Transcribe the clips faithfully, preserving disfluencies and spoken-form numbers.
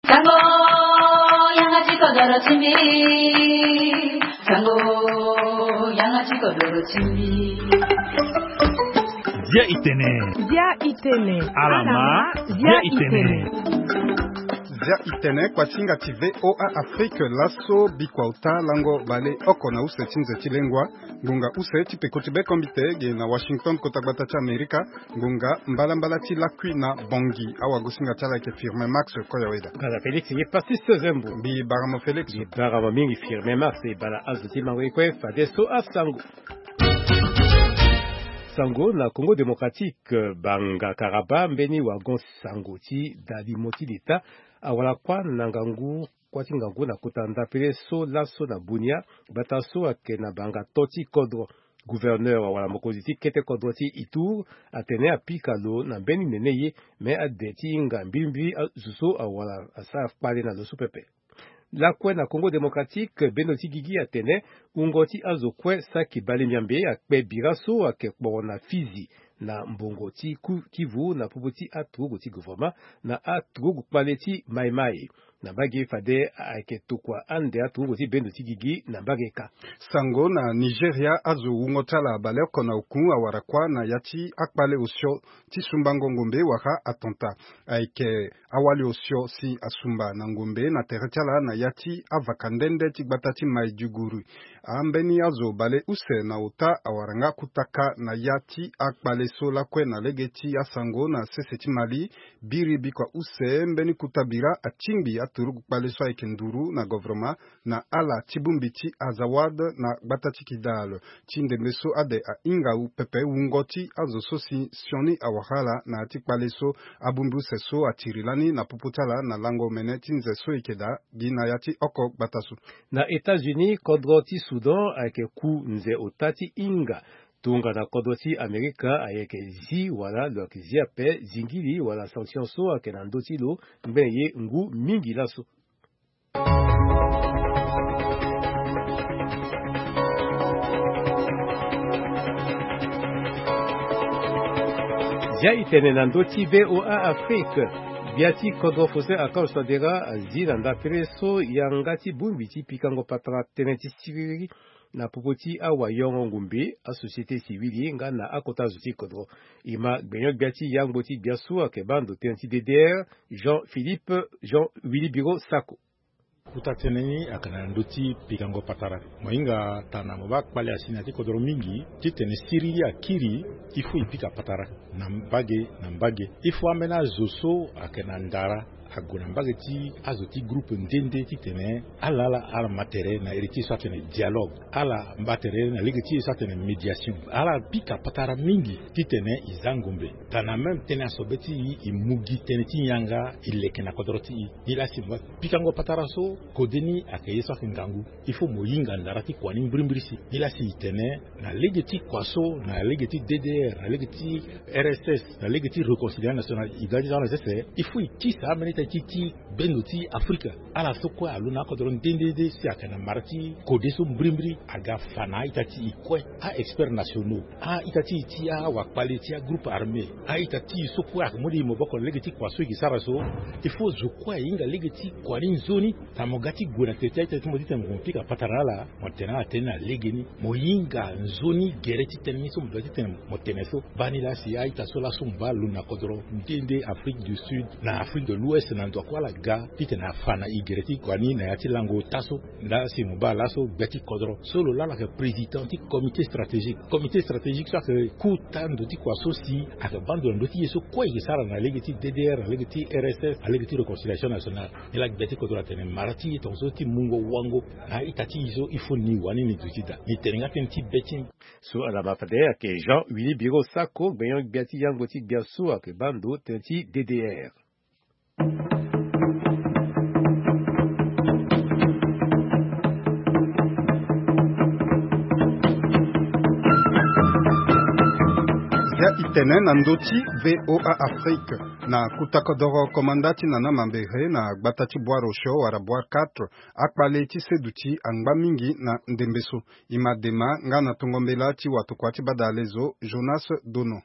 Sango, yanga ti kodoro ti mbi. Sango, yanga ti kodoro ti mbi. Zia itene. Zia itene. Alama. Zia itene. Zia itene, kuasinga ti VOA Afrique, laso bikua uta lango bale oko na use ti nze ti lengua. Ngonga use ti peko ti bekombite ge na Washington, kota gbata ti Amerika. Ngonga mbalambala ti lakui na Bangui. Awagosinga ti ala ayeke Firmin Max Koyaweda. Ngala Félix ye Pastis Zembo. Mbi baramo Félix. Mbi baramo mingi Firmin Max. E bala azo ti mango ye kue fadeso asango. Sango na Congo Démocratique, banga karaba mbeni wagon sango ti dalimo ti leta awara kuâ na ngangu kuâ ti ngangu na kota ndapele so laso na Bunia. Gbata so ayeke na banga to ti kodro. Gouverneur wala mokonzi ti kete kodro ti Itour atene apika lo na mbeni nene ye, me ade ti hinga mbilimbili azo so awara asara kpale na lo so pepe. Lakue na Congo Démocratique, bendo ti gigi atene wungo ti azo kue saki bale miambe akpe bira so ayeke kporo na Fizi na mbongo ti ku- Kivu na popo ti aturugu ti gouvernement na aturugu kpale ti Mai Mai. Na mbage fade ayeke tokua ande aturugu ti bendo ti gigi na mbage ka. Sango na Nigeria, azo wungo ti ala baleoko na oku awara kuâ na ya ti akpale osio ti sumbango ngombe wala attentat. Ayeke awali osio si asumba na ngombe na tere ti ala na ya ti avaka nde nde ti gbata ti Maiduguri. Ambeni azo bale use na ota awara nga kutaka na ya ti akpale so lakue na lege ti asango na sese ti Mali. Biri bikua use mbeni kuta bira atingbi aturugu kpale so ayeke nduru na governement na ala ti bongbi ti Azawad na gbata ti Kidal. Ti ndembe so ade ahinga u pepe wungo ti azo so si sioni awara ala na ya ti kpale so. Abongbi use so atiri lani na popo ti ala na lango mene ti nze so e yeke daa gi na ya ti oko gbata so. Na États-Unis, kodro ti Soudan ayeke ku nze ota ti hinga tongana kodro ti Amerika ayeke zi wala lo yeke zi ape zingili wala sanction so ayeke na ndö ti lo ngbene ye ngu mingi laso. Zia e tene na ndö ti VOA Afrique. Gbia ti kodro Faustin Archange Touadéra azi na ndapere so yanga ti bongbi ti pikango patara tënë ti siriri na popo ti awayongo ngumbe, asociété civile nga na akota zo ti kodro. E ma gbenyo-gbia ti yangbo ti gbia so ayeke baa ndo tënë ti D D R, Jean Philippe, Jean Willy Biro Sako. Kota tënë ni ayeke na ndö ti pikango patara. Mo hinga tana mo baa kpale asi na ya ti kodro mingi titene siriri akiri. Il faut e pika patara na mbage na mbage. Il faut ambeni azo so ayeke na ndara ague na mbage ti azo ti groupe nde nde titene ala ala ala ma tere na ere ti e so atene dialogue. Ala mba tere na lege ti e so atene médiation. Ala pika patara mingi titene e za ngombe. Tana même tënë asobe ti e, e mu gi tënë ti yanga e leke na kodro ti e. Nilaa si mo baa pikango patara so kode ni ayeke ye so ayeke ngangu. Il faut mo hinga ndara ti kua ni mbirimbiri si. Nilaa si e tene na lege ti kua so, na lege ti D D R, na lege ti R S S, na lege ti réconciliation nationale, e ga ti za na sese. Il faut e kisa ambeni ita ti ti bendo ti Afrika. Ala so kue alo na akodro nde nde nde si ayeke na mara ti kode so mbirimbiri aga fa na a-ita ti e kue. A-expert nationaux, a-ita ti e ti awakpali ti agroupe armé, a-ita ti e so kue ayeke mu ti e maboko na lege ti kua so e ke sara so. Il faut zo kue ahinga lege ti kua ni nzoni. Tana mo ga ti gue na tere ti a-ita ti mo titene mo pika patara na ala. Mo tene ala tënë na legeni. Mo hinga nzoni gere ti tënë ni so mo doit titene mo tene so. Baa ni laa si a-ita so laso mo baa lo na kodro nde nde Afrique du Sud, na Afrique de l'Ouest, na ndo kue ala ga titene afa na e gere ti kua ni na ya ti lango ota so. Ndaa si mo baa laso gbia ti kodro so lo laa lo ayeke président ti comité stratégique. Comité stratégique so ayeke kota ndo ti kua so si ayeke baa ndo na ndö ti ye so kue e ke sara na lege ti D D R, na lege ti R S S, na lege ti réconciliation nationale. Ni laa gbia ti kodro atene mara ti e tongaso ti mungo wango na a-ita ti e so il faut ni wani ni duti daa. Ni tene nga tënë ti be ti ni. So ala ma fade ayeke Jean Willy Biro Sako, gbenyo-gbia ti yangbo ti gbia so ayeke baa ndo tënë ti D D R. Zia e tene na ndö ti VOA Afrique. Na kota kodoro komanda ti nana mambere na gbata ti Bois Rocheux wala Bois quatre, akpale ti seduti angba mingi na ndembe so. E ma dema nga na tongo mbela ti watokua ti badalezo Jonas Dono.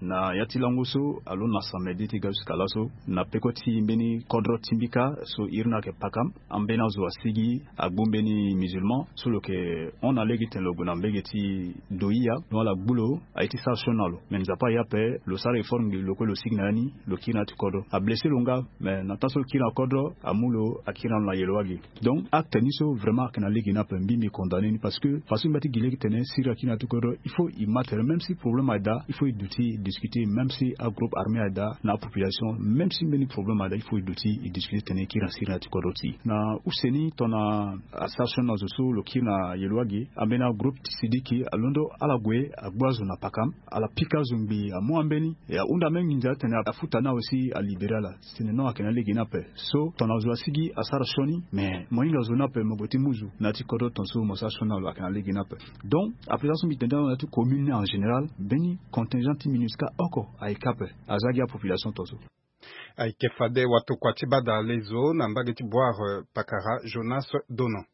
Na ya ti lango so alondo na samedi ti ga jusqu'à laso, na peko ti mbeni kodro ti mbika so iri ni ayeke pakam, ambeni azo asigi agbu mbeni musulman so lo yeke hon na lege titene lo gue na mbege ti doia. Donc ala gbu lo aye ti sara sioni na lo. Me nzapa aye ape, lo sara effort ngbii lo kue, lo sigi na ya ni, lo kiri na ya ti kodro. Ablessé lo nga, me na temps so lo kiri na kodro, amu lo akiri na lo na yelo wagi. Donc acte ni so vraiment ayeke na lege ni ape, mbi mbi condamné ni, parce que façon mbi ya ti gi lege titene siriri akiri na ya ti kodro, il faut e ma tere, même si problème ayeke daa, il faut e duti discuter, même si agroupe armé ayeke daa na apopulation, même si mbeni problème ayeke daa, il faut e duti e discuter titene e kiri na siriri na ya ti kodro ti e. Na use ni tongana asara sioni na zo so lo kiri na yelo wagi, ambeni agroupe ti sidiki alondo ala gue agbu azo na pakam, ala pika azo ngbii amu ambeni, e ahunda même nginza titene afuta ni awe si alibéré ala. Titene non, ayeke na lege ni ape. So tongana zo asigi asara sioni, mais mo hinga zo ni ape, mo gue ti mu zo na ya ti kodro tongaso mo sara sioni na lo, ayeke na lege ni ape. Donc après ça so mbi tene ti na ti commune ni en général, mbeni contingent ti MINUSCA oko ayeke ape, aza gi apopulation tongaso. Ayeke fade watokua ti badalezo na mbage ti Boire, euh, pakara Jonas Donon.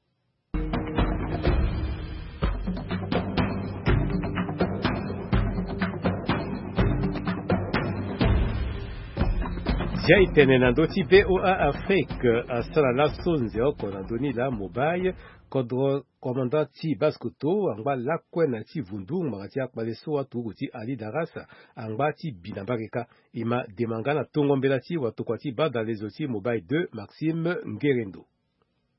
Zia e tene na ndö ti V O A Afrique, asara laso nze oko na ndö ni laa mobile, kodro commandant ti Basse-Kotto angba lakue na ya ti vundu ngbanga ti akpale so aturuku ti Ali Darras angba ti bi na mbage kâ. E ma dema nga na tongo mbela ti watokua ti badalezo ti mobile deux, Maxime Ngerendo.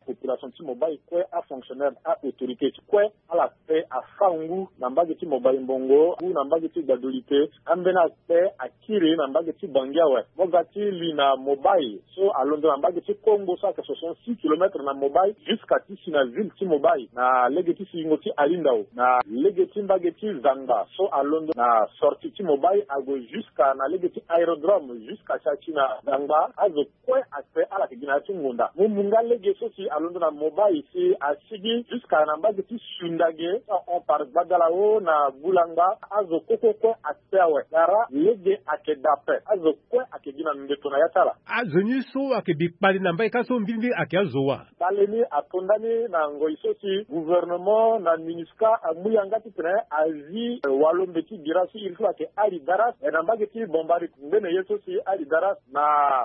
Population ti Mobay kue, afonctionnaire, a-autorité ti kue, ala kpe afa ngu na mbage ti Mobay Mbongo, ngu na mbage ti Gbadolite, ambeni akpe akiri na mbage ti Bangui awe. Mo ga ti li na Mobay so alondo na mbage ti Kongo so ayeke soixante-six kilomètres na Mobay, jusqu'à ti si na ville ti Mobay, na lege ti singo ti Alindao, na lege ti mbage ti Zangba so alondo na sortie ti Mobay ague jusqu'à na lege ti aérodrome, jusqu'à si ati na Zangba, azo kue akpe, ala yeke gi na ya ti ngonda. Mu mu nga lege so si alondo na Mobay si asigi jusqu'à na mbage ti Sundage, so ahon par Gbadalao na Bulangba, azo kue kue kue akpe awe. Gara lege ayeke daa ape. Azo kue ayeke gi na mbeto na ya ti ala. Azo ni so ayeke bi kpale na mbage kâ so mbilimbili ayeke azo wa? Kpale ni ato ndani na ngoi so si gouvernement na MINUSCA amu yanga titene azi, eh, walo mbeti bira so iri so ayeke Ali Darras, eh, na mbage ti Bambari. Ngbene ye so si Ali Darras na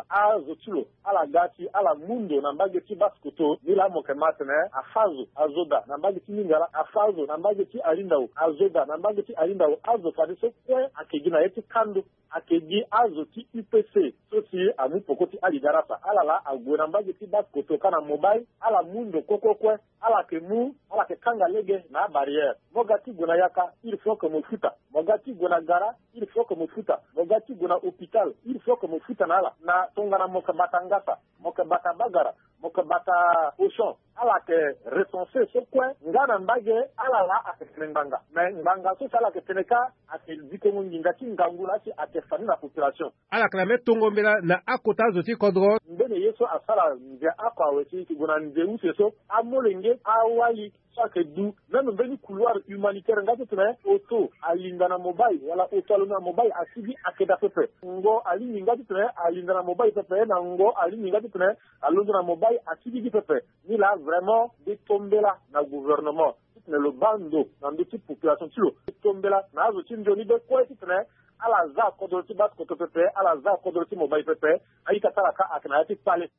azo ti lo, ala ga si ala mu ndo na mbage ti Basse-Kotto, nilaa mo yeke ma atene afa azo, azo daa. Na mbage ti Lingala, afa azo. Na mbage ti Alindao, azo daa. Na mbage ti Alindao, azo fadeso kue ayeke gi na ye ti kando. Ayeke gi azo ti U P C so si amu peko ti Ali Darras. Ala laa ague na mbage ti Basse-Kotto kâ na Mobay, ala mu ndo kue kue kue. Ala yeke mu, ala yeke kanga lege na abarrière. Mo ga ti gue na yaka, il faut que mo futa. Mo ga ti gue na gara, il faut que mo futa. Mo ga ti gue na hôpital, il faut que mo futa na ala. Na tongana mo yeke bata ngasa, mo yeke bata bagara, mo yeke bata cochon, ala yeke recenser so kue nga na mbage. Ala laa ayeke tene ngbanga. Mais ngbanga so si ala yeke tene kâ, ayeke dikongo nginza ti ngangu laa si ayeke fa ni na population. Ala yeke na mbeni tongo mbela na akota azo ti kodro. Ngbene ye so asara nze oko awe si e yeke gue na nze use so, amolenge, awali so ayeke du même mbeni couloir humanitaire nga titene auto alinda na Mobay, wala auto alondo na Mobay asigi, ayeke daa pepe. Ngo alingbi nga titene alinda na Mobay pepe, na ngo alingbi nga titene alondo na Mobay asigi gi pepe. Nilaa vraiment mbi to mbela na gouvernement titene lo baa ndo na ndö ti population ti lo. Mbi to mbela na azo ti nzoni be kue titene ala za kodro ti Basse-Kotto pepe, ala za kodro ti Mobay pepe. A-ita ti ala kâ ayeke na ya ti kpale.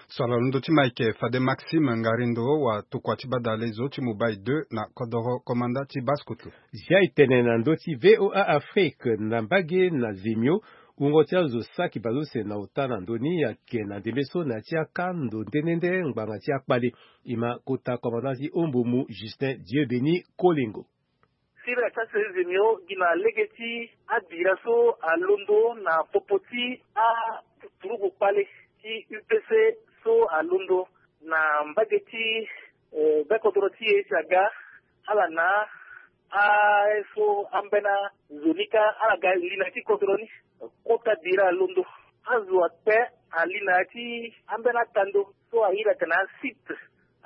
So ala londo ti Mike fade Maxime Ngarindo, watokua ti badalezo ti Mobay deux na kodoro komanda ti Basse-Kotto. Zia e tene na ndö ti V O A Afrique, na mbage na Zemio, wungo ti azo saki baleuse na ota na ndö ni ayeke na ndembe so na ya ti akando nde nde nde ngbanga ti akpale. E ma kota komanda ti Ombomu Justin Dieu Béni Kolengo. Siriri ati asere Zemio gi na lege ti abira so alondo na popo ti aturugu kpale ti U P C so alondo na mbage ti, eh, be kodoro ti e si aga, ala na aye so ambeni azo ni kâ, ala ga li na ya ti kodoro ni. Kota bira alondo. Azo akpe ali na ya ti ambeni atando so a iri atene asite.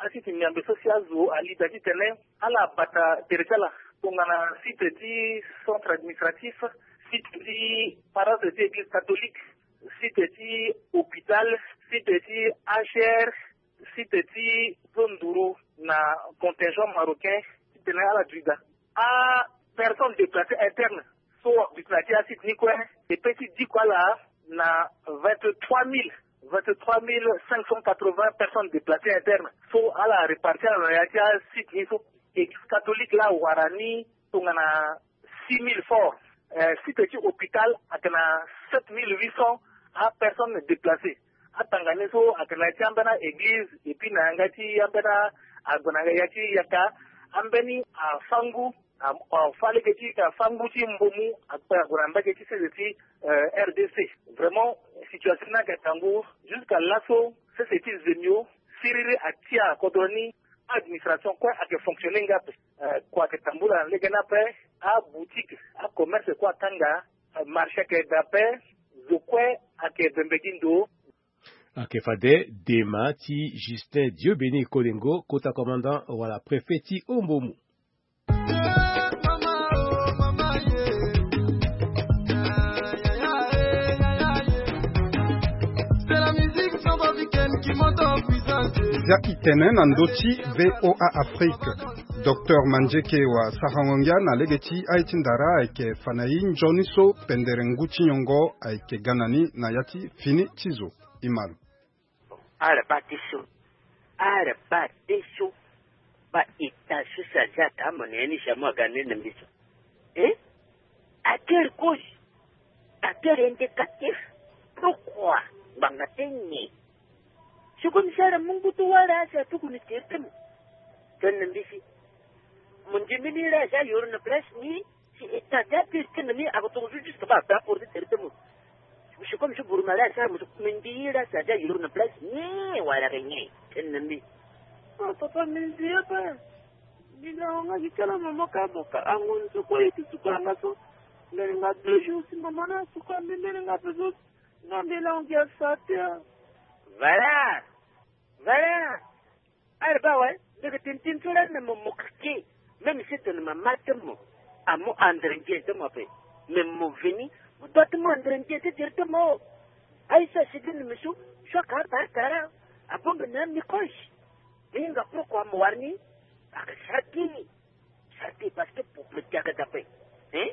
Asite miambe so si azo ali daa titene ala bata tere ti ala tongana site ti centre administratif, site ti paroisse ti église catholique, site ti hôpital, site ti H R, site ti zo nduru na contingent marocain, titene ala duti daa. Apersonne déplacée interne so aduti na ya ti asite ni Kue, e pe ti diko ala na vingt-trois mille, vingt-trois mille cinq cent quatre-vingts personnes déplacées internes. So ala répartir ala na ya ti asite ni so. Église catholique la awara ni tongana six mille fort. Eh, site ti hôpital ayeke na sept mille huit cents apersonnes déplacées. Atanga ni so ayeke na ya ti ambeni a-église, et puis na yanga ti ambeni ague na ya ti yaka, ambeni afangu, a, afa lege ti afangu ti mbomu akpe ague na mbage ti sese ti, eh, R D C. Vraiment, situation ni ayeke tangu. Jusqu'à laso sese ti zemio siriri atia kodro ni. Administration kue ayeke fonctionner nga ape. Eh, kua ayeke tambula na lege ni ape. Aboutique, acommerce kue akanga. Eh, marché ayeke da ape. Zo kue ayeke bembe gi ndo. Ayeke fade dema ti Justin Dieu Béni Kolengo, kota commandant wala préfet ti Ombomu. Zia itene na ndö ti V O A Afrique. Docteur Mandieke wa sarango ngia na lege ti aye ti ndara ayeke fa na e nzoni so pendere ngu ti nyongo ayeke ga na ni na ya ti fini ti zo. E ma lo. Bon, ala baa ti so. Ala baa ti so. Baa état so si azia ata amo na ya ni si amu aga na ni na mbi so. Eh? Atere cause. Atere indicatif. Pourquoi? Ngbanga ti nyen? Si comme si ala mu ngu ti wara si atuku ni tere ti mo. Tene na mbi si. Mo ndimi ni la si ayoro na place ni. Si état ti ape ti tene ni ako tongo so juste ba ape apporter tere ti mo. Si comme si bourma la asara mo so, me ndi la si aza yoro na place ni wala ke nyen? Tene na mbi. Ah, papa, me ndi ape. Mbi na wanga gi kala mama ka boka. Ango ni so kue ye ti suka nga so. Mbele nga deux jours si mama na suka mbi mbele nga ape so. Nga mbele ango gi asa te. Voilà. Voilà. Ala baa awe, mbi yeke tene tënë so lani na mo, mo keke. Même si tene mama ti mo amu andre ndia ti mo ape. Mais mo veni, mo doit ti mu andre ndia ti tere ti mo. Aye so asi gi na mbi so, so aka abaa tara, abongbi na ami koche. Mbi hinga pourquoi mo wara ni? Aka sara ti ni. Sara ti parce que peuple ti aga dape. Hein?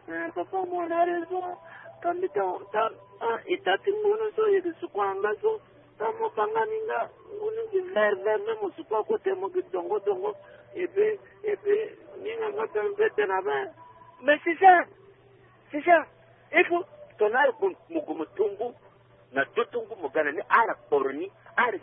Eh, papa, mo na raison. Ka mbi ta, ta, ah, e ta ti ngunu so, e yeke suku anga so. Ta mo banga ni nga, ngunu gi vert vert, même mo suku akote mo gi dongo dongo. Et puis, et puis, ni nga nga tene be tene abe. Mais c'est ça. C'est ça. Il faut, tongana mo gue mo tongo. Na do ti ngu mo ga na ni, ala kporo ni, ala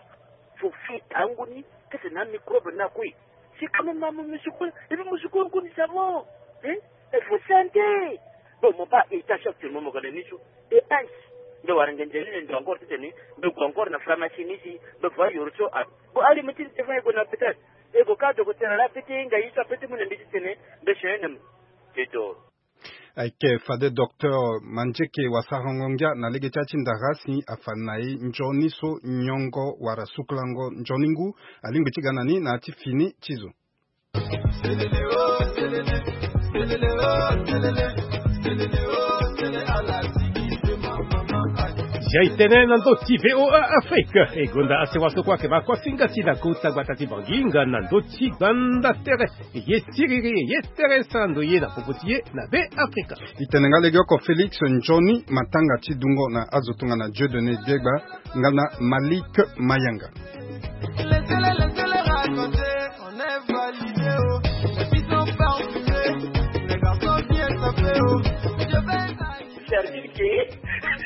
fo fi tangu ni, kese na microbe na kue. Si quand même mo musuku, et puis musuku ngu ni savon. Hein? Il faut santé. Bon, mo baa état actuellement mo ga na ni so. E ice. Mbe wara ngenze ni ndo encore titene, mbe gue encore na pharmacie ni si, mbe va yoro so a. Bon, ali mo ti ni te fa e gue na hôpital. E gue ka docteur la pete nga ye so apete mu na mbi titene, mbe chene na mo. Te doro. Ayeke fade docteur Mandieke wa sarango ngia na lege ti ya ti ndara si afa na e nzoni so nyongo wala sukulango nzoni ngu alingbi ti ga na ni na ya ti fini ti zo. Zia e tene na ndö ti V O A Afrique. E gonda asewa so kue ayeke baa kuasinga ti na kota gbata ti Bangui nga na ndö ti gbanda tere. Ye siriri, ye tere sara ndo ye na popo ti ye na Be Afrika. E tene nga legeoko Félix Nzoni, matanga ti dungo na azo tongana Dieudonné Biegba nga na Malik Mayanga. Service ke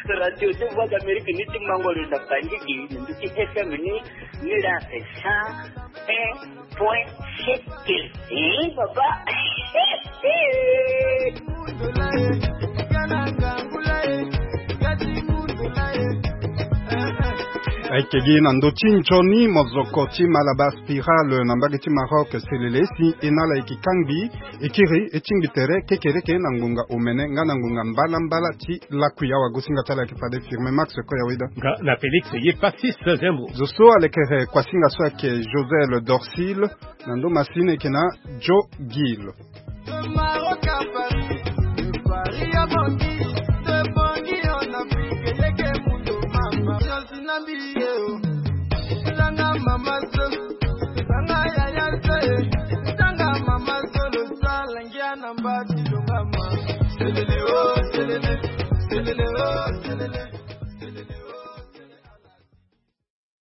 radio ti Voix d'Amérique ni ti mango lo na Bangui gi na ndu ti F M ni, ni la cent un point sept. Eh, papa. Ayeke gi na ndö ti nzoni mozoko ti Malabar Spiral na mbage ti Maroc selele si e na ala yeke kangbi. E kiri e tingbi tere kekereke na ngonga omene nga na ngonga mbalambala ti lakui. Awagosinga ti ala ayeke fade Firmin Max Koyaweda. Nga na Félix ye Passis Zembo. Zo so alekere kuasinga so ayeke Josel Dorcil. Na ndo masini ayeke na Joe Gill.